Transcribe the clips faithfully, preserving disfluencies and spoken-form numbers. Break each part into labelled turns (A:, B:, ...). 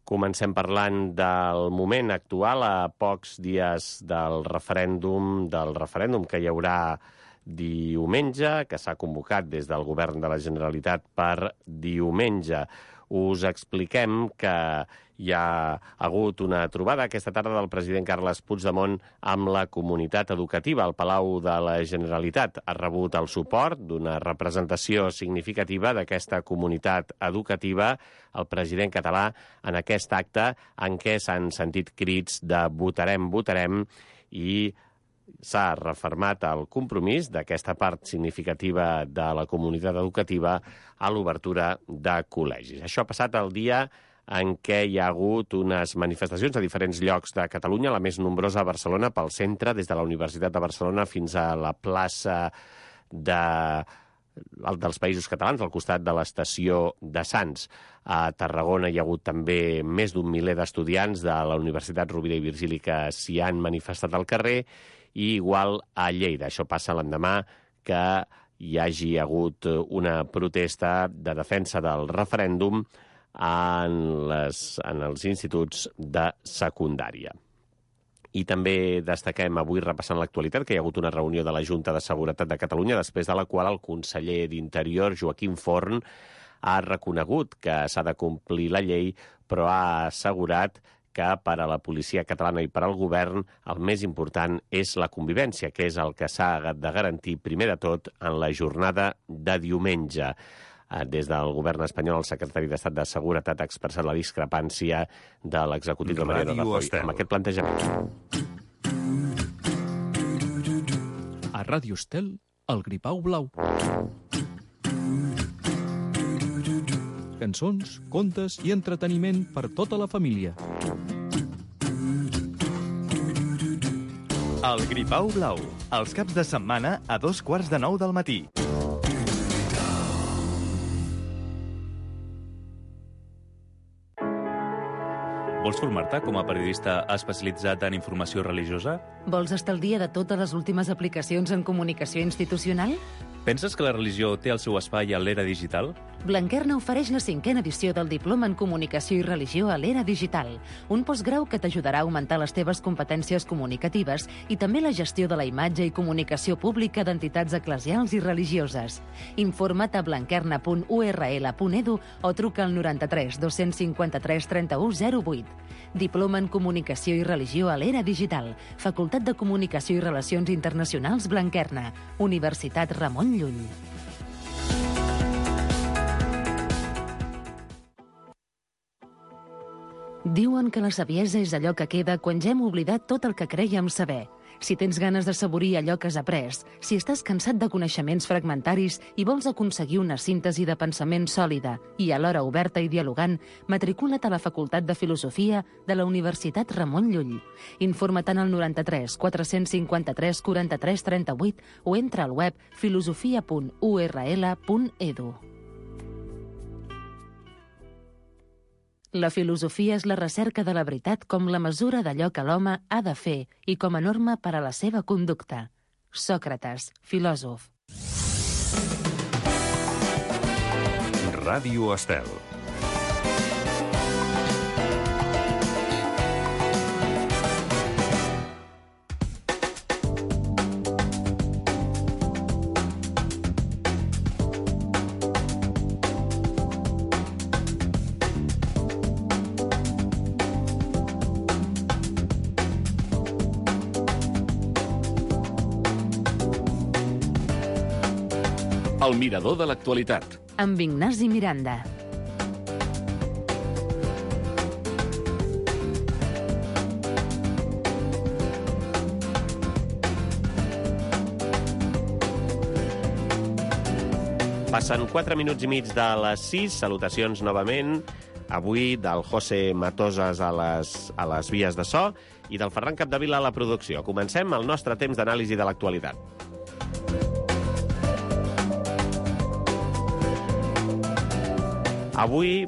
A: Comencem parlant del moment actual, a pocs dies del referèndum, del referèndum que hi haurà diumenge, que s'ha convocat des del Govern de la Generalitat per diumenge. Us expliquem que hi ha hagut una trobada aquesta tarda del president Carles Puigdemont amb la comunitat educativa. El Palau de la Generalitat ha rebut el suport d'una representació significativa d'aquesta comunitat educativa, el president català, en aquest acte en què s'han sentit crits de votarem, votarem, i s'ha refermat el compromís d'aquesta part significativa de la comunitat educativa a l'obertura de col·legis. Això ha passat el dia en què hi ha hagut unes manifestacions a diferents llocs de Catalunya, la més nombrosa a Barcelona, pel centre, des de la Universitat de Barcelona fins a la plaça de... dels Països Catalans, al costat de l'estació de Sants. A Tarragona hi ha hagut també més d'un miler d'estudiants de la Universitat Rovira i Virgili que s'hi han manifestat al carrer, i igual a Lleida. Això passa l'endemà que hi hagi hagut una protesta de defensa del referèndum en, les, en els instituts de secundària. I també destaquem avui, repassant l'actualitat, que hi ha hagut una reunió de la Junta de Seguretat de Catalunya, després de la qual el conseller d'Interior, Joaquim Forn, ha reconegut que s'ha de complir la llei, però ha assegurat que per a la policia catalana i per al govern el més important és la convivència, que és el que s'ha de garantir primer de tot en la jornada de diumenge. Des del govern espanyol, el secretari d'Estat de Seguretat ha expressat la discrepància de l'executiu de Mariano Rajoy amb aquest plantejament.
B: A Ràdio Estel, el Gripau Blau. Cançons, contes i entreteniment per tota la família.
C: El Gripau Blau, els caps de setmana a dos quarts de nou del matí. Vols formar-te com a periodista especialitzat en informació religiosa?
D: Vols estar al dia de totes les últimes aplicacions en comunicació institucional?
C: Penses que la religió té el seu espai a l'era digital?
D: Blanquerna ofereix la cinquena edició del Diploma en Comunicació i Religió a l'era digital, un postgrau que t'ajudarà a augmentar les teves competències comunicatives i també la gestió de la imatge i comunicació pública d'entitats eclesials i religioses. Informa't a blanquerna punt u erra ele punt edu o truca al noranta-tres dos-cents cinquanta-tres trenta-u zero vuit. Diploma en Comunicació i Religió a l'era digital, Facultat de Comunicació i Relacions Internacionals Blanquerna, Universitat Ramon Llull. Diuen que la saviesa és allò que queda quan ja hem oblidat tot el que crèiem saber. Si tens ganes d'assaborir allò que has après, si estàs cansat de coneixements fragmentaris i vols aconseguir una síntesi de pensament sòlida i alhora oberta i dialogant, matricula't a la Facultat de Filosofia de la Universitat Ramon Llull. Informa't al noranta-tres quatre-cents cinquanta-tres quaranta-tres trenta-vuit o entra al web filosofia punt u erra ele punt edu. La filosofia és la recerca de la veritat com la mesura d'allò que l'home ha de fer i com a norma per a la seva conducta. Sòcrates, filòsof.
E: Ràdio Estel.
F: El mirador de l'actualitat.
D: Amb Ignasi Miranda.
A: Passen quatre minuts i mig de les sis. Salutacions novament. Avui del José Matosas a les, a les vies de so i del Ferran Capdevila a la producció. Comencem el nostre temps d'anàlisi de l'actualitat. Avui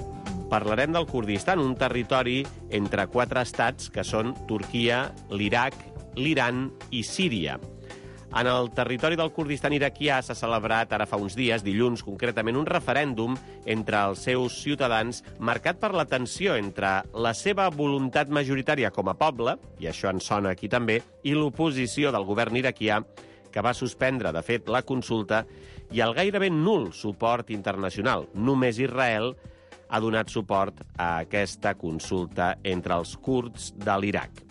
A: parlarem del Kurdistan, un territori entre quatre estats que són Turquia, l'Iraq, l'Iran i Síria. En el territori del Kurdistan iraquià s'ha celebrat ara fa uns dies, dilluns concretament, un referèndum entre els seus ciutadans marcat per la tensió entre la seva voluntat majoritària com a poble, i això ens sona aquí també, i l'oposició del govern iraquià, que va suspendre, de fet, la consulta, i el gairebé nul suport internacional. Només Israel ha donat suport a aquesta consulta entre els kurds de l'Iraq.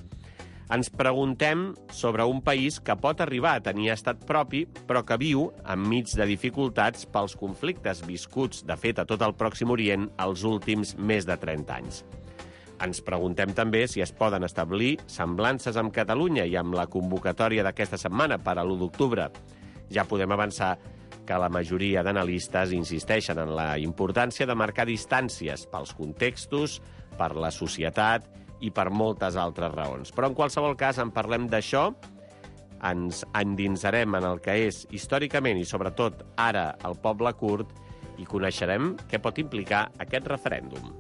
A: Ens preguntem sobre un país que pot arribar a tenir estat propi, però que viu enmig de dificultats pels conflictes viscuts, de fet, a tot el Pròxim Orient els últims més de trenta anys. Ens preguntem també si es poden establir semblances amb Catalunya i amb la convocatòria d'aquesta setmana per a l'u d'octubre. Ja podem avançar que la majoria d'analistes insisteixen en la importància de marcar distàncies pels contextos, per la societat i per moltes altres raons. Però en qualsevol cas en parlem d'això, ens endinsarem en el que és històricament i sobretot ara el poble kurd i coneixerem què pot implicar aquest referèndum.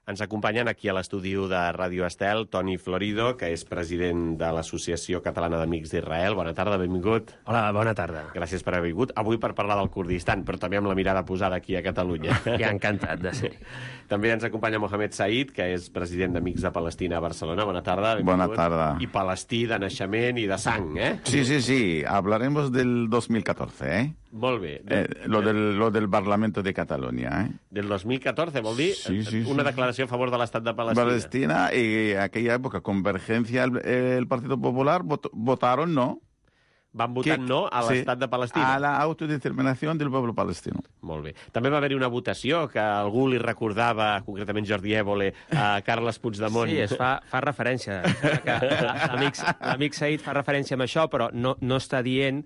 A: Ens acompanyen aquí a l'estudi de Ràdio Estel Toni Florido, que és president de l'Associació Catalana d'Amics d'Israel. Bona tarda, benvingut.
E: Hola, bona tarda.
A: Gràcies per haver vingut. Avui per parlar del Kurdistan, però també amb la mirada posada aquí a Catalunya.
E: Ja encantat de ser.
A: També ens acompanya Mohamed Said, que és president d'Amics de Palestina a Barcelona. Bona tarda, benvingut.
G: Bona tarda.
A: I palestí de naixement i de sang, eh?
G: Sí, sí, sí. Hablaremos del dos mil catorce, ¿eh?
A: Molt bé.
G: Eh, lo, del, lo del Parlamento de Cataluña, ¿eh?
A: Del dos mil catorce, vol dir
G: Sí, sí,
A: una
G: sí.
A: declaració a favor de l'estat de Palestina.
G: Palestina, y en aquella época Convergencia, el, el Partido Popular, vot, votaron no.
A: Van votar
G: Que-
A: no a
G: sí,
A: l'estat de Palestina.
G: A la autodeterminación del pueblo palestino.
A: Molt bé. També va haver-hi una votació que algú li recordava, concretament Jordi Évole, a Carles Puigdemont.
E: Sí, es fa, fa referència. Que l'amic l'amic Said fa referència amb això, però no, no està dient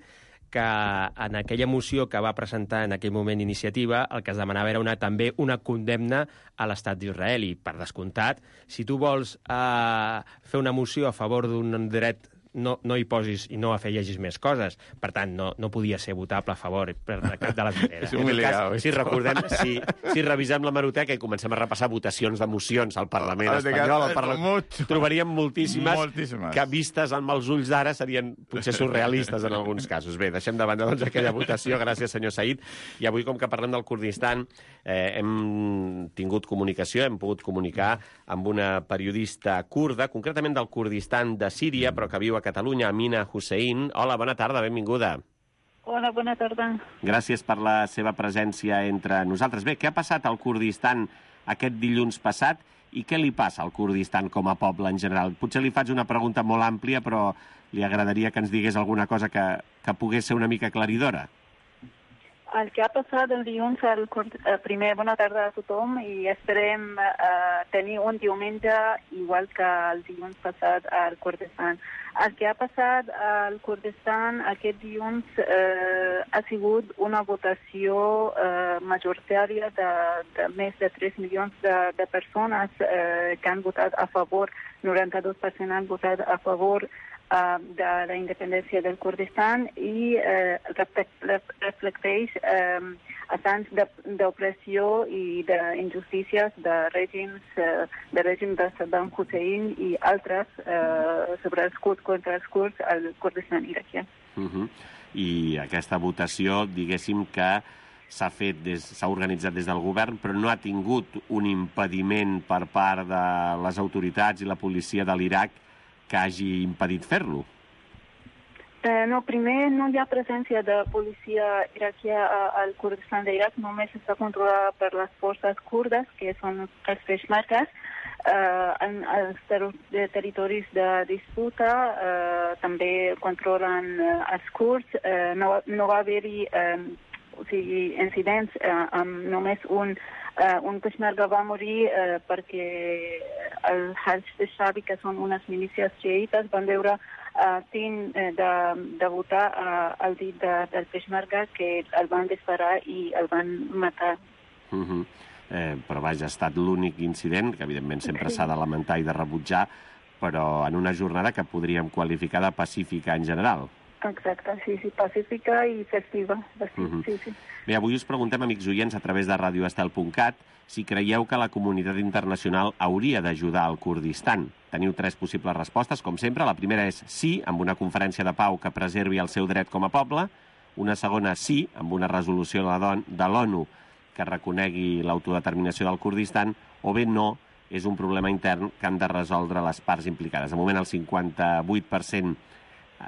E: que en aquella moció que va presentar en aquell moment Iniciativa, el que es demanava era una, també una condemna a l'estat d'Israel. I, per descomptat, si tu vols eh, fer una moció a favor d'un dret, no, no hi posis i no afegeixis més coses. Per tant, no, no podia ser votable a favor per de cap de les maneres.
G: És un humiliado,
A: Si recordem, si, si revisem l'hemeroteca i comencem a repassar votacions de mocions al Parlament
G: Ah, de
A: espanyol, al
G: cap-
A: Parlament,
G: mucho.
A: trobaríem moltíssimes,
G: Moltíssimes.
A: que vistes amb els ulls d'ara serien potser surrealistes en alguns casos. Bé, deixem de banda doncs, aquella votació. Gràcies, senyor Said. I avui, com que parlem del Kurdistan, eh, hem tingut comunicació, hem pogut comunicar amb una periodista kurda, concretament del Kurdistan de Síria, però que viu a Catalunya, Amina Hussein. Hola, bona tarda, benvinguda.
H: Hola, bona tarda.
A: Gràcies per la seva presència entre nosaltres. Bé, què ha passat al Kurdistan aquest dilluns passat i què li passa al Kurdistan com a poble en general? Potser li faig una pregunta molt àmplia, però li agradaria que ens digués alguna cosa que, que pogués ser una mica aclaridora.
H: El que ha passat el dilluns, al Kurd... eh, primer, bona tarda a tothom i esperem eh, tenir un diumenge igual que el dilluns passat al Kurdistan. El que ha passat al Kurdistan aquest dilluns eh, ha sigut una votació eh, majoritària de, de més de tres milions de, de persones eh, que han votat a favor, noranta-dos per cent han votat a favor Uh, de la independència del Kurdistan i uh, reflecteix uh, assants d'opressió i d'injustícies de règims uh, de règim de Saddam Hussein i altres uh, sobre els kurds contra els kurds al Kurdistan iraquià.
A: Uh -huh. I aquesta votació, diguéssim que s'ha fet des, s'ha organitzat des del govern, però no ha tingut un impediment per part de les autoritats i la policia de l'Iraq que hagi impedit fer-lo?
H: Eh, no, primer no hi ha presència de policia iraquià al Kurdistan d'Iraq, només està controlada per les forces kurdes, que són els peshmergas. Eh, en els ter territoris de disputa eh, també controlen eh, els kurds. Eh, no, no va haver-hi eh, o sigui, incidents eh, amb només un Uh, un peshmerga va morir uh, perquè el Hajj al-Shabi, que són unes milícies xiïtes, van veure uh, tint uh, de, de votar uh, al dit de, del peshmerga, que el van disparar i el van matar.
A: Uh -huh. eh, però vaja, ha estat l'únic incident, que evidentment sempre s'ha de lamentar i de rebutjar, però en una jornada que podríem qualificar de pacífica en general.
H: Exacte, sí, sí, pacífica i festiva. Sí,
A: Uh-huh.
H: sí, sí.
A: Bé, avui us preguntem, amics oients, a través de radio estel punt cat, si creieu que la comunitat internacional hauria d'ajudar al Kurdistan. Teniu tres possibles respostes, com sempre. La primera és sí, amb una conferència de pau que preservi el seu dret com a poble. Una segona, sí, amb una resolució de la don- de l'ONU que reconegui l'autodeterminació del Kurdistan. O bé no, és un problema intern que han de resoldre les parts implicades. De moment, el cinquanta-vuit per cent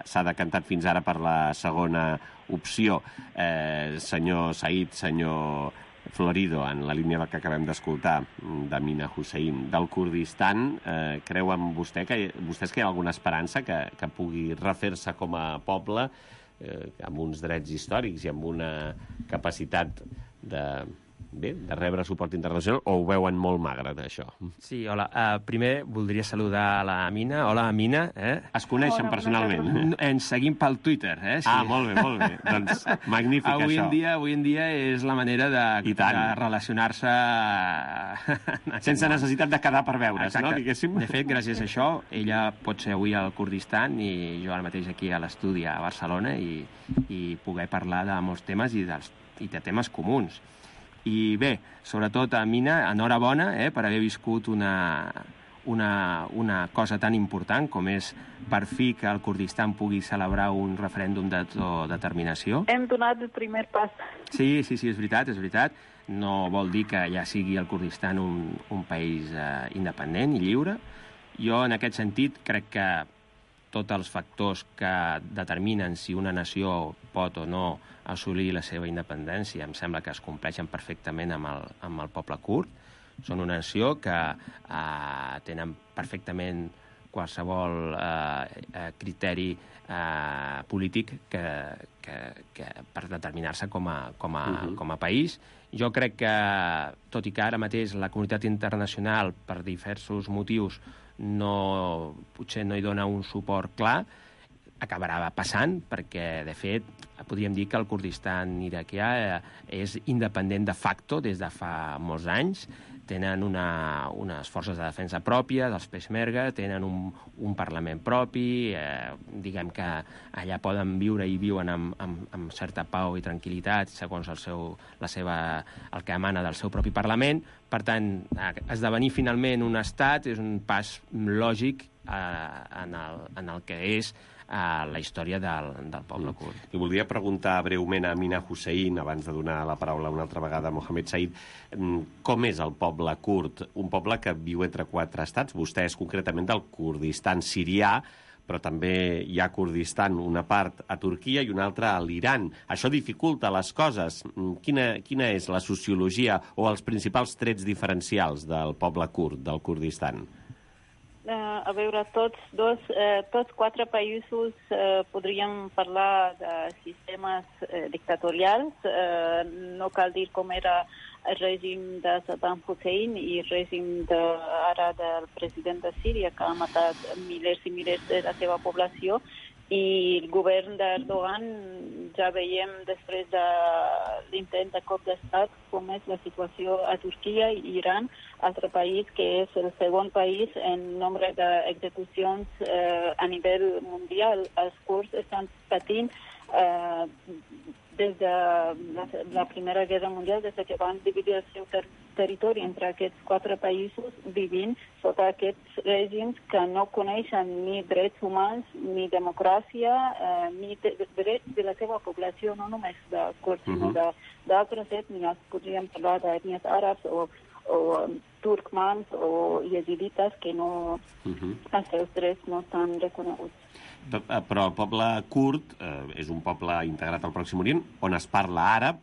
A: s'ha decantat fins ara per la segona opció. Eh, senyor Said, senyor Florido, en la línia del que acabem d'escoltar, d'Amina Hussein, del Kurdistan, eh, creuen vostè que, vostès que hi ha alguna esperança que, que pugui refer-se com a poble eh, amb uns drets històrics i amb una capacitat de, bé, de rebre suport internacional, o ho veuen molt magre, d'això?
E: Sí, hola. Uh, primer voldria saludar a la Amina. Hola, Amina. Eh?
A: Es coneixen
H: Hola,
A: personalment?
H: bona
E: Ens seguim pel Twitter, eh? Sí.
A: Ah, molt bé, molt bé. Doncs magnífic,
E: avui
A: això.
E: En dia, avui en dia és la manera de,
A: I tant.
E: de relacionar-se...
A: Sense necessitat de quedar per veure's,
E: Exacte.
A: no? Diguéssim.
E: De fet, gràcies a això, ella pot ser avui al Kurdistan i jo ara mateix aquí a l'estudi a Barcelona i, i poder parlar de molts temes i, dels, i de temes comuns. I bé, sobretot a Mina, enhorabona eh, per haver viscut una, una, una cosa tan important com és per fi que el Kurdistan pugui celebrar un referèndum d'autodeterminació.
H: Hem donat el primer pas.
E: Sí, sí, sí, és veritat, és veritat. No vol dir que ja sigui el Kurdistan un, un país eh, independent i lliure. Jo, en aquest sentit, crec que tots els factors que determinen si una nació pot o no assolir la seva independència em sembla que es compleixen perfectament amb el, amb el poble kurd. Són una nació que eh, tenen perfectament qualsevol eh, eh, criteri eh, polític que, que, que per determinar-se com a, com, a, uh-huh. com a país. Jo crec que, tot i que ara mateix la comunitat internacional, per diversos motius, no, potser no hi dona un suport clar, acabarà passant, perquè, de fet, podríem dir que el Kurdistan iraquià eh, és independent de facto des de fa molts anys. Tenen una, unes forces de defensa pròpia, dels Peshmerga, tenen un, un parlament propi, eh, diguem que allà poden viure i viuen amb, amb, amb certa pau i tranquil·litat, segons el, seu, la seva, el que emana del seu propi parlament. Per tant, esdevenir finalment un estat és un pas lògic eh, en, el, en el que és a la història del, del poble kurd.
A: I voldria preguntar breument a Amina Hussein, abans de donar la paraula una altra vegada a Mohamed Said, com és el poble kurd? Un poble que viu entre quatre estats. Vostè és concretament del Kurdistan sirià, però també hi ha Kurdistan, una part a Turquia i una altra a l'Iran. Això dificulta les coses. Quina, quina és la sociologia o els principals trets diferencials del poble kurd, del Kurdistan?
H: Uh, a veure, tots, dos, uh, tots quatre països uh, podríem parlar de sistemes uh, dictatorials. Uh, no cal dir com era el règim de Saddam Hussein i el règim de, ara del president de Síria, que ha matat milers i milers de la seva població. I el govern d'Erdogan, ja veiem després de l'intent de cop d'estat com és la situació a Turquia i Iran, altre país que és el segon país en nombre d'execucions eh, a nivell mundial. Els kurds estan patint eh, des de la, la Primera Guerra Mundial, des que van dividir el seu ter territori entre aquests quatre països, vivint sota aquests règims que no coneixen ni drets humans, ni democràcia, eh, ni de, de drets de la seva població, no només de kurds, uh-huh. sinó d'altres ètnies. Podríem parlar d'ètnies àrabs o, o um, turcmans o yezidites que no, uh-huh. els seus drets no estan reconeguts.
A: Però el poble kurd eh, és un poble integrat al Pròxim Orient on es parla àrab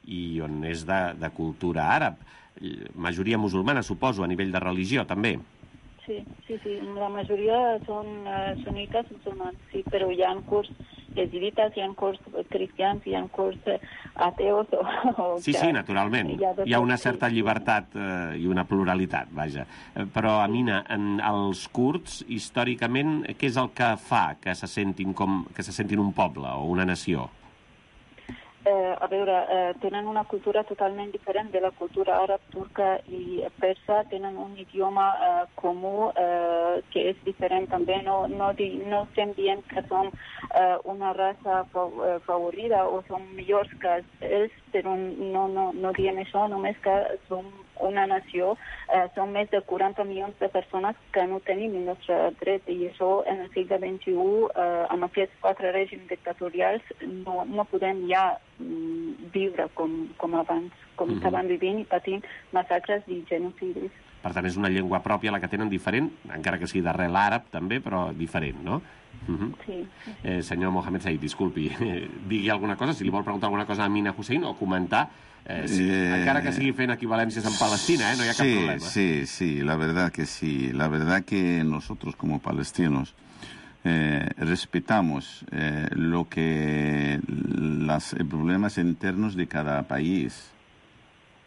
A: i on és de, de cultura àrab. Majoria musulmana, suposo, a nivell de religió, també.
H: Sí, sí, sí. La majoria són uh, sunites musulmans, sí, però hi ha kurds yezidites, hi ha kurds cristians, hi ha kurds ateos. O, o
A: sí, sí, naturalment. Hi ha, hi ha una certa llibertat eh, i una pluralitat, vaja. Però, Amina, en els kurds, històricament, què és el que fa que se sentin, com, que se sentin un poble o una nació?
H: Eh, a veure, eh, tenen una cultura totalment diferent de la cultura àrab, turca i persa, tenen un idioma eh, comú eh, que és diferent també. No, no, di, no estem dient que som eh, una raça favorida o som millors que ells, però no, no, no diem això, només que som una nació, eh, són més de quaranta milions de persones que no tenim el nostre dret, i això en el segle vint-i-u, eh, amb aquests quatre règims dictatorials, no, no podem ja mm, viure com, com abans, com mm-hmm. estaven vivint i patint massacres i genocidis.
A: Per tant, és una llengua pròpia la que tenen, diferent, encara que sigui d'arrel àrab també, però diferent, no? Uh-huh. Sí. Eh, senyor Mohamed Said, disculpi, eh, digui alguna cosa, si li vol preguntar alguna cosa a Amina Hussein o comentar, eh, si, eh, encara que sigui fent equivalències en Palestina, eh, no hi ha cap
I: sí,
A: problema.
I: Sí, sí, la verdad que sí. La verdad que nosotros como palestinos eh, respetamos eh, lo que los problemas internos de cada país,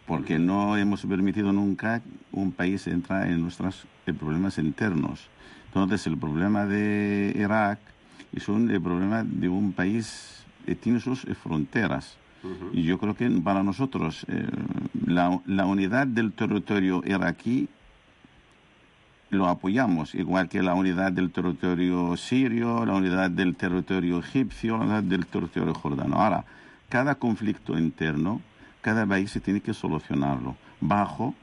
I: porque no hemos permitido nunca un país entrar en nuestros problemas internos. Entonces, el problema de Irak es un el problema de un país que tiene sus fronteras. Uh-huh. Y yo creo que para nosotros eh, la, la unidad del territorio iraquí lo apoyamos, igual que la unidad del territorio sirio, la unidad del territorio egipcio, la unidad del territorio jordano. Ahora, cada conflicto interno, cada país se tiene que solucionarlo bajo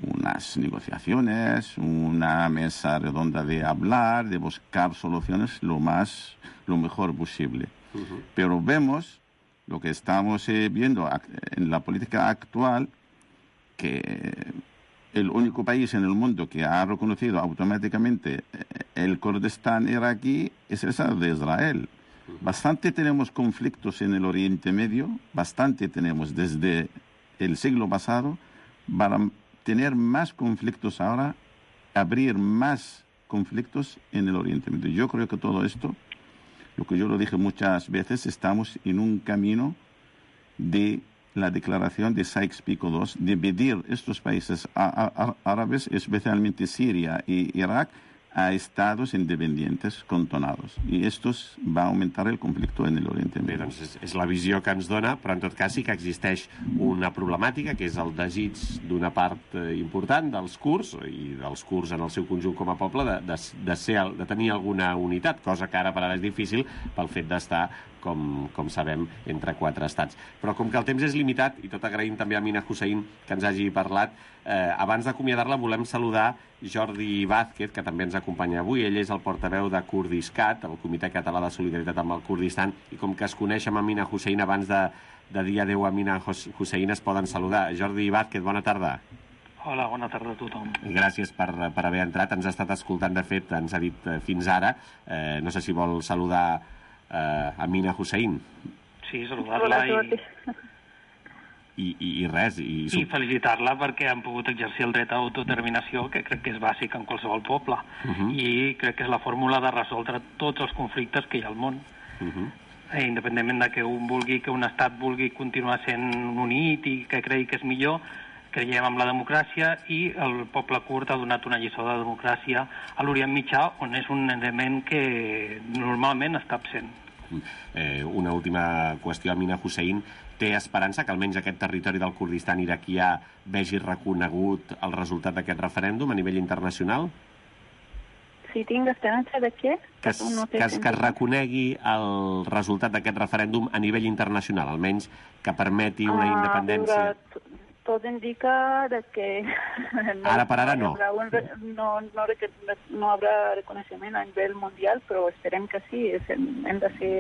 I: unas negociaciones, una mesa redonda de hablar, de buscar soluciones lo más, lo mejor posible. Uh-huh. Pero vemos lo que estamos eh, viendo en la política actual, que el único país en el mundo que ha reconocido automáticamente el Kurdistán iraquí es el Estado de Israel. Uh-huh. Bastante tenemos conflictos en el Oriente Medio, bastante tenemos desde el siglo pasado, para tener más conflictos ahora, abrir más conflictos en el Oriente Medio. Yo creo que todo esto, lo que yo lo dije muchas veces, estamos en un camino de la declaración de Sykes-Picot dos, de dividir estos países árabes, especialmente Siria y Irak, a estados independientes contonados. I esto va a aumentar el conflicto en el Oriente Medio.
A: Bé, doncs és, és la visió que ens dona, però en tot cas sí que existeix una problemàtica, que és el desig d'una part eh, important dels kurds, i dels kurds en el seu conjunt com a poble, de, de, de, ser, de tenir alguna unitat, cosa que ara per ara és difícil pel fet d'estar, com, com sabem, entre quatre estats. Però com que el temps és limitat, i tot agraïm també a Amina Hussein que ens hagi parlat, eh, abans d'acomiadar-la volem saludar Jordi Vázquez, que també ens acompanya avui. Ell és el portaveu de Kurdiscat, el Comitè Català de Solidaritat amb el Kurdistan, i com que es coneix amb Amina Hussein, abans de, de dir adeu a Amina Hussein, es poden saludar. Jordi Vázquez, bona tarda.
J: Hola, bona tarda a tothom.
A: Gràcies per, per haver entrat. Ens ha estat escoltant, de fet, ens ha dit eh, fins ara. Eh, no sé si vol saludar eh, Amina Hussein.
J: Sí, saludar-la i...
A: I, i, i res. I,
J: I felicitar-la perquè han pogut exercir el dret a autodeterminació, que crec que és bàsic en qualsevol poble. Uh-huh. I crec que és la fórmula de resoldre tots els conflictes que hi ha al món. Uh-huh. eh, independentment de que un vulgui, que un estat vulgui continuar sent unit i que cregui que és millor, creiem en la democràcia, i el poble kurd ha donat una lliçó de democràcia a l'Orient Mitjà, on és un element que normalment està absent.
A: Eh, una última qüestió, Amina Hussein. Té esperança que almenys aquest territori del Kurdistan iraquià vegi reconegut el resultat d'aquest referèndum a nivell internacional?
H: Sí, tinc esperança de què?
A: Que es, no que, es, que es reconegui el resultat d'aquest referèndum a nivell internacional, almenys que permeti una ah, independència.
H: Veure, tot indica de que...
A: No, ara per ara no.
H: No, no, no, no habrà reconeixement a nivell mundial, però esperem que sí. Hem de ser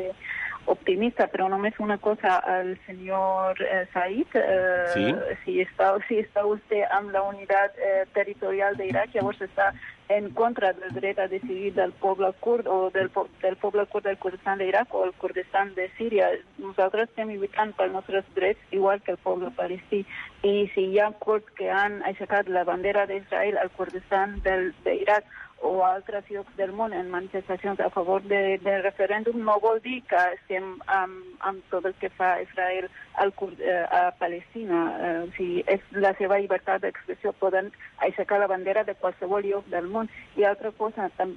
H: optimista, però només una cosa al senyor eh, Said. Eh,
A: sí?
H: Si està, si està vostè amb la unitat eh, territorial d'Iraq, llavors està en contra del dret a decidir del poble kurd o del, del poble kurd del Kurdistan d'Iraq o el Kurdistan de Síria. Nosaltres estem lluitant pels nostres drets igual que el poble palestí. I si hi ha kurds que han aixecat la bandera d'Israel al Kurdistan d'Iraq o a altres llocs del món en manifestacions a favor de, del referèndum, no vol dir que estem amb, amb tot el que fa Israel al, eh, a Palestina. Eh, o sigui, és la seva llibertat d'expressió, poden aixecar la bandera de qualsevol lloc del món. I altra cosa, tam,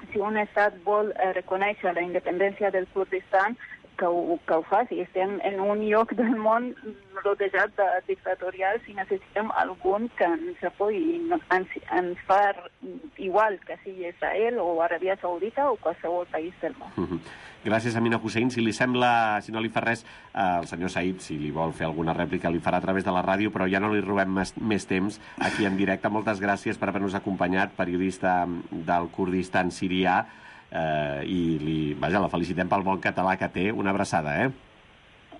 H: si un estat vol eh, reconèixer la independència del Kurdistan, que ho, que ho faci. Estem en un lloc del món rodejat de dictatorials i necessitem algun que ens apoyi, ens, ens fa igual que sigui Israel o Aràbia Saudita o qualsevol país del món.
A: Mm-hmm. Gràcies, Amina Hussein. Si li sembla, si no li fa res, eh, el senyor Said, si li vol fer alguna rèplica, li farà a través de la ràdio, però ja no li robem més, més temps aquí en directe. Moltes gràcies per haver-nos acompanyat, periodista del Kurdistan sirià, eh, i li, vaja, la felicitem pel bon català que té. Una abraçada, eh?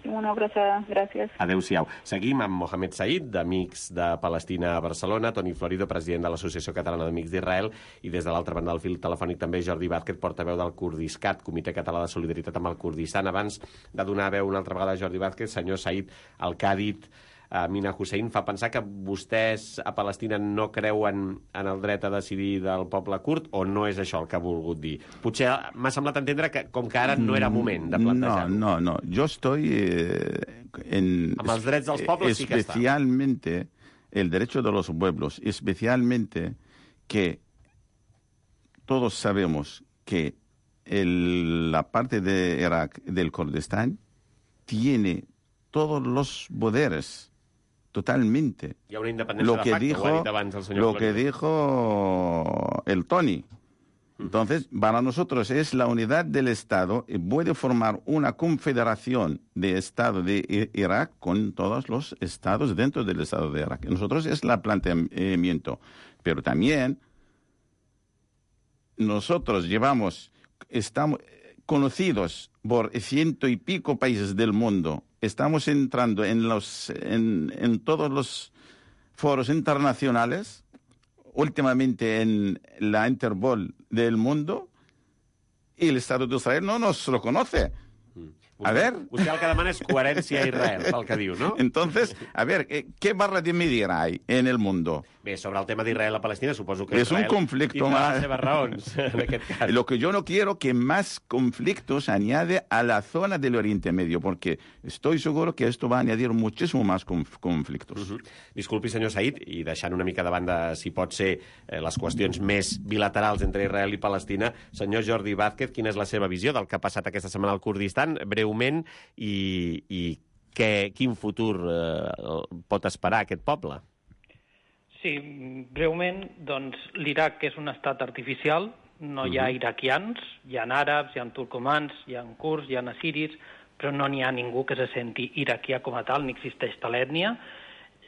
H: Una abraçada, gràcies.
A: Adéu-siau. Seguim amb Mohamed Said, d'Amics de Palestina a Barcelona, Toni Florido, president de l'Associació Catalana d'Amics d'Israel, i des de l'altra banda del fil telefònic també Jordi Vázquez, portaveu del Kurdiscat, Comitè Català de Solidaritat amb el Kurdistan. Abans de donar veu una altra vegada a Jordi Vázquez, senyor Said, el que ha dit Amina Hussein fa pensar que vostès a Palestina no creuen en el dret a decidir del poble kurd, o no és això el que ha volgut dir? Potser m'ha semblat entendre que com que ara no era moment de plantejar-ho.
G: No, no, no. Jo estoy eh, en...
A: Amb els drets dels pobles sí que està.
G: Especialmente el derecho de los pueblos, especialmente que todos sabemos que el, la parte de Irak, del Kurdistán, tiene todos los poderes. Totalmente.
A: Hi ha una independència
G: lo que
A: de facto,
G: dijo,
A: ho ha dit abans el senyor
G: Lo que
A: Florido.
G: dijo el Tony. Entonces, para nosotros es la unidad del Estado y puede formar una confederación de Estado de Irak con todos los estados dentro del Estado de Irak. Nosotros es el planteamiento. Pero también nosotros llevamos, estamos conocidos por ciento y pico países del mundo. Estamos entrando en, los, en, en todos los foros internacionales, últimamente en la Interpol del mundo, y el Estado de Israel no nos lo conoce. A ver.
A: Usted el que demana és coherència a Israel, pel que diu, no?
G: Entonces, a ver, ¿qué barra de medir hay en el mundo?
A: Bé, sobre el tema d'Israel a Palestina, suposo que
G: es
A: Israel
G: un conflicto
A: tindrà
G: más.
A: les seves raons, en aquest cas.
G: Lo que yo no quiero que más conflictos añade a la zona del Oriente Medio, porque estoy seguro que esto va a añadir muchísimo más conf conflictos.
A: Uh -huh. Disculpi, senyor Said, i deixant una mica de banda, si pot ser, eh, les qüestions més bilaterals entre Israel i Palestina, senyor Jordi Vázquez, quina és la seva visió del que ha passat aquesta setmana al Kurdistan, breument, i, i què, quin futur eh, pot esperar aquest poble?
J: Sí, breument, doncs l'Iraq és un estat artificial, no hi ha iraquians, hi ha àrabs, hi ha turcomans, hi ha kurds, hi ha assiris, però no n'hi ha ningú que se senti iraquià com a tal, ni existeix tal ètnia.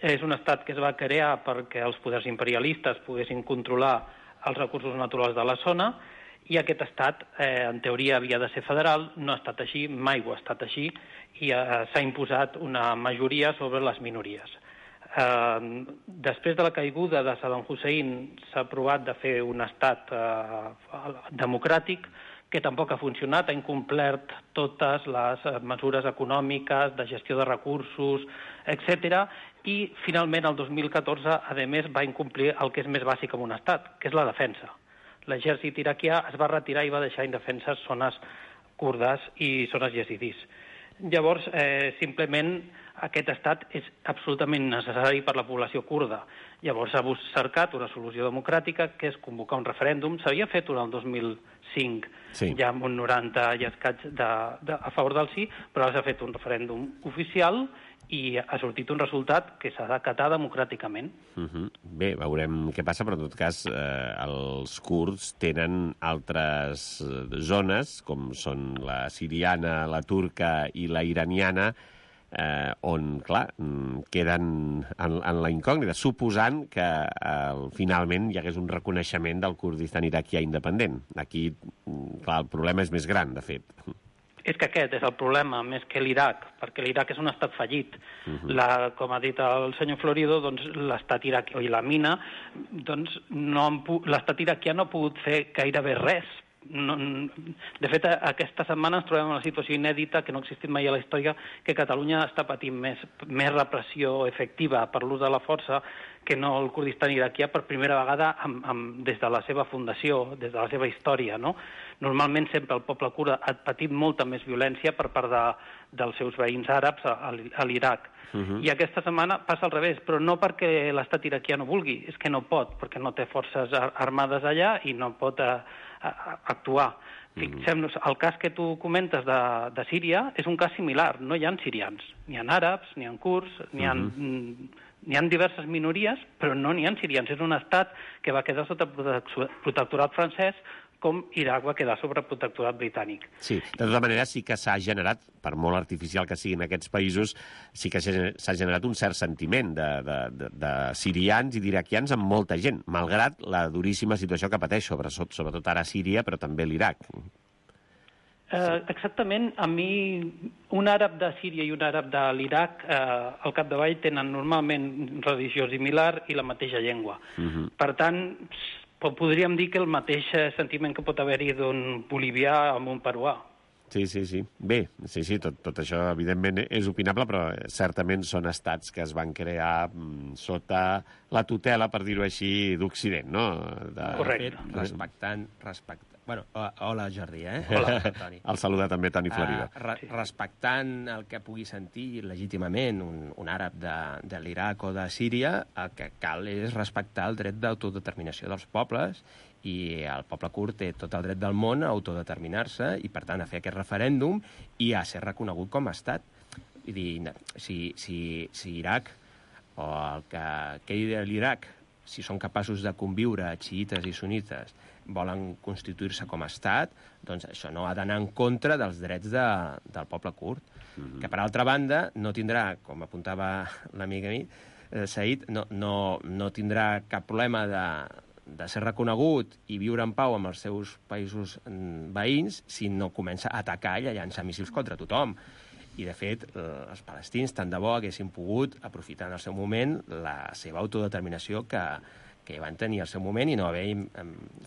J: És un estat que es va crear perquè els poders imperialistes poguessin controlar els recursos naturals de la zona, i aquest estat, eh, en teoria, havia de ser federal, no ha estat així, mai ho ha estat així, i eh, s'ha imposat una majoria sobre les minories. Eh, després de la caiguda de Saddam Hussein s'ha provat de fer un estat eh, democràtic que tampoc ha funcionat, ha incomplert totes les mesures econòmiques, de gestió de recursos, etcètera, i finalment el dos mil catorze, a més, va incomplir el que és més bàsic en un estat, que és la defensa. L'exèrcit iraquià es va retirar i va deixar indefenses zones kurdes i zones yazidis. Llavors, eh, simplement, aquest estat és absolutament necessari per la població kurda. Llavors s'ha cercat una solució democràtica, que és convocar un referèndum. S'havia fet el dos mil cinc, sí, ja amb un noranta i escaig de, de, a favor del sí, però ara s'ha fet un referèndum oficial i ha sortit un resultat que s'ha d'acatar democràticament.
A: Uh -huh. Bé, veurem què passa, però en tot cas eh, els kurds tenen altres zones, com són la siriana, la turca i la iraniana, eh, on, clar, queden en, en la incògnita, suposant que eh, finalment hi hagués un reconeixement del Kurdistan iraquià independent. Aquí, clar, el problema és més gran, de fet.
J: És que aquest és el problema, més que l'Iraq, perquè l'Iraq és un estat fallit. Uh-huh. la, com ha dit el senyor Florido, doncs, l'estat iraquià i la mina, doncs, no l'estat iraquià no ha pogut fer gairebé res. No, de fet, aquesta setmana ens trobem en una situació inèdita que no ha existit mai a la història, que Catalunya està patint més, més repressió efectiva per l'ús de la força que no el Kurdistan iraquià per primera vegada amb, amb, des de la seva fundació, des de la seva història, no? Normalment sempre el poble kurd ha patit molta més violència per part de, dels seus veïns àrabs a, a l'Iraq. Uh-huh. I aquesta setmana passa al revés, però no perquè l'estat iraquià no vulgui, és que no pot, perquè no té forces armades allà i no pot a, a, a actuar. Fixem-nos, el cas que tu comentes de, de Síria és un cas similar. No hi ha sirians, ni ha àrabs, ni ha kurds, ni ha, mm. n'hi ha diverses minories, però no n'hi ha sirians. És un estat que va quedar sota protectorat francès, com Iraq va quedar sobre protectorat britànic.
A: Sí, de tota manera sí que s'ha generat, per molt artificial que siguin aquests països, sí que s'ha generat un cert sentiment de, de, de, de sirians i d'iraquians amb molta gent, malgrat la duríssima situació que pateix, sobretot, sobretot ara Síria, però també l'Iraq.
J: Eh, exactament, a mi un àrab de Síria i un àrab de l'Iraq eh, al capdavall tenen normalment religió similar i la mateixa llengua. Uh-huh. Per tant, podríem dir que el mateix sentiment que pot haver-hi d'un bolivià amb un peruà.
A: Sí, sí, sí. Bé, sí, sí, tot, tot això evidentment és opinable, però certament són estats que es van crear mm, sota la tutela, per dir-ho així, d'Occident, no? De...
E: Correcte. Respectant, respectant... Bueno, hola, Jordi, eh? Hola, Toni.
A: El saluda també Toni Florida.
E: Uh, re respectant el que pugui sentir legítimament un, un àrab de, de l'Iraq o de Síria, el que cal és respectar el dret d'autodeterminació dels pobles, i el poble kurd té tot el dret del món a autodeterminar-se i, per tant, a fer aquest referèndum i a ser reconegut com a estat. Vull dir, si, si, si Iraq o el que quedi de l'Iraq, si són capaços de conviure xiïtes i sunites, volen constituir-se com a estat, doncs això no ha d'anar en contra dels drets de, del poble kurd, mm-hmm. que per altra banda no tindrà, com apuntava l'amic a mi, eh, Said, no, no, no tindrà cap problema de, de ser reconegut i viure en pau amb els seus països veïns si no comença a atacar i a llançar míssils contra tothom. I, de fet, els palestins tant de bo haguessin pogut aprofitar en el seu moment la seva autodeterminació que, que van tenir al seu moment i no haver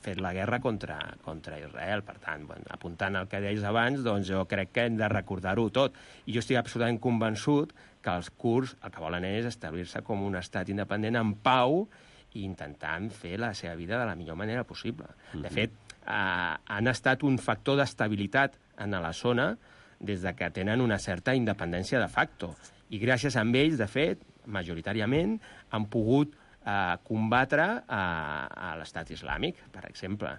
E: fet la guerra contra, contra Israel. Per tant, bueno, apuntant al que deies abans, doncs jo crec que hem de recordar-ho tot. I jo estic absolutament convençut que els kurds el que volen és establir-se com un estat independent en pau i intentant fer la seva vida de la millor manera possible. De fet, eh, han estat un factor d'estabilitat en la zona des de que tenen una certa independència de facto. I gràcies a ells, de fet, majoritàriament, han pogut eh, combatre a, a l'estat islàmic, per exemple.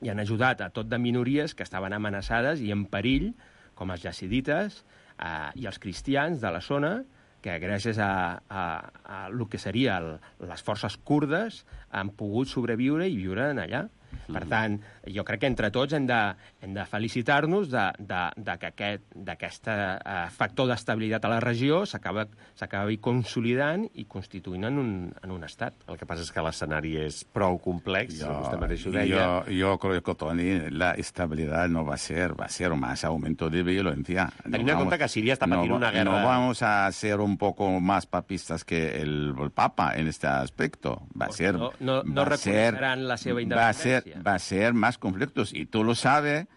E: I han ajudat a tot de minories que estaven amenaçades i en perill, com els jazidites eh, i els cristians de la zona, que gràcies a, a, a el que seria el, les forces kurdes han pogut sobreviure i viure en allà. Per tant, jo crec que entre tots hem de, hem de felicitar-nos de, de, de que aquest d'aquest uh, factor d'estabilitat a la regió s'acabi consolidant i constituint en un, en un estat.
A: El que passa és que l'escenari és prou complex,
I: yo,
A: vostè mateix ho deia.
I: Yo, yo creo que, Toni, la estabilidad no va a ser, va a ser más aumento de violencia.
A: Teniendo en cuenta que Siria está patint
I: no,
A: una guerra...
I: No vamos a ser un poco más papistas que el, el Papa en este aspecto. Va a ser...
E: No, no, no reconocerán la seva independència.
I: Va a ser, va a ser más conflictos. Y tú lo sabes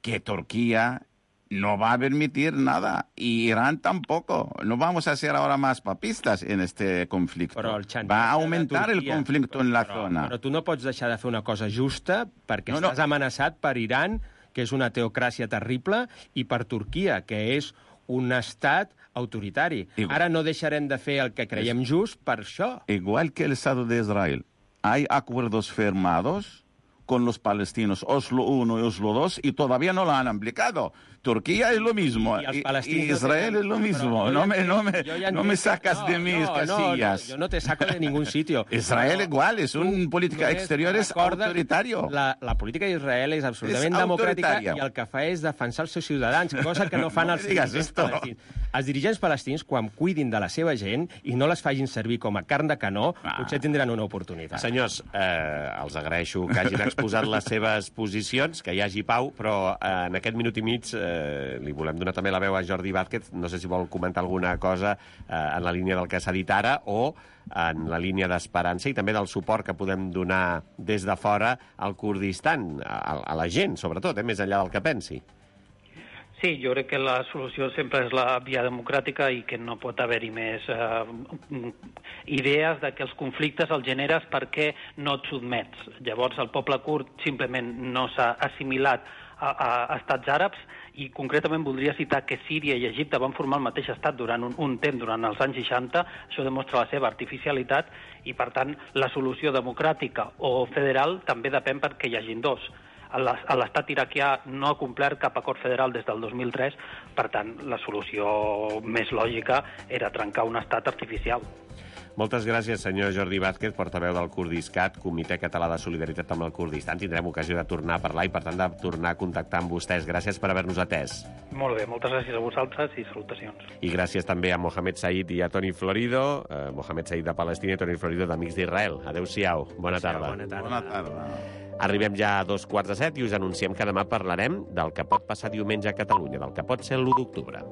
I: que Turquía no va a permitir nada. Y Irán tampoco. No vamos a ser ahora más papistas en este conflicto. Va a aumentar el conflicto en la
E: però,
I: zona.
E: Però tu no pots deixar de fer una cosa justa perquè
I: no,
E: estàs
I: no.
E: amenaçat per Iran, que és una teocràcia terrible, i per Turquia, que és un estat autoritari.
I: Igual.
E: Ara no deixarem de fer el que creiem just per això.
I: Igual que el Estado de Israel. Hay acuerdos firmados con los palestinos, Oslo uno y Oslo dos, y todavía no lo han aplicado. Turquía es lo mismo, y, y Israel no es lo mismo. No me, no me, ja no me sacas no, de mis
E: no,
I: casillas.
E: No, no, yo no te saco de ningún sitio.
I: Israel no, igual, es un política exterior es autoritario.
E: La, la política d'Israel és absolutament és democràtica i el que fa és defensar els seus ciutadans, cosa que no fan no els dirigents palestins. Els dirigents palestins, quan cuidin de la seva gent i no les facin servir com a carn de canó, ah. potser tindran una oportunitat.
A: Senyors, eh, els agraeixo que hagin exposat les seves posicions, que hi hagi pau, però eh, en aquest minut i mig eh, li volem donar també la veu a Jordi Vázquez. No sé si vol comentar alguna cosa eh, en la línia del que s'ha dit ara o en la línia d'esperança i també del suport que podem donar des de fora al Kurdistan, a, a la gent, sobretot, eh, més enllà del que pensi.
J: Sí, jo crec que la solució sempre és la via democràtica i que no pot haver-hi més eh, idees de que els conflictes els generes perquè no et sotmets. Llavors el poble kurd simplement no s'ha assimilat a, a, a estats àrabs i concretament voldria citar que Síria i Egipte van formar el mateix estat durant un, un temps, durant els anys seixanta. Això demostra la seva artificialitat i, per tant, la solució democràtica o federal també depèn perquè hi hagin dos. l'estat iraquià no ha complert cap acord federal des del dos mil tres, per tant, la solució més lògica era trencar un estat artificial.
A: Moltes gràcies, senyor Jordi Vázquez, portaveu del Kurdiscat, Comitè Català de Solidaritat amb el Kurdistan. Tindrem ocasió de tornar a parlar i, per tant, de tornar a contactar amb vostès. Gràcies per haver-nos atès.
J: Molt bé, moltes gràcies a vosaltres i salutacions.
A: I gràcies també a Mohamed Said i a Toni Florido, eh, Mohamed Said de Palestina i Toni Florido d'Amics d'Israel. Adéu-siau, bona tarda.
E: Bona tarda.
G: Bona tarda.
A: Arribem ja a dos quarts de set i us anunciem que demà parlarem del que pot passar diumenge a Catalunya, del que pot ser l'u d'octubre.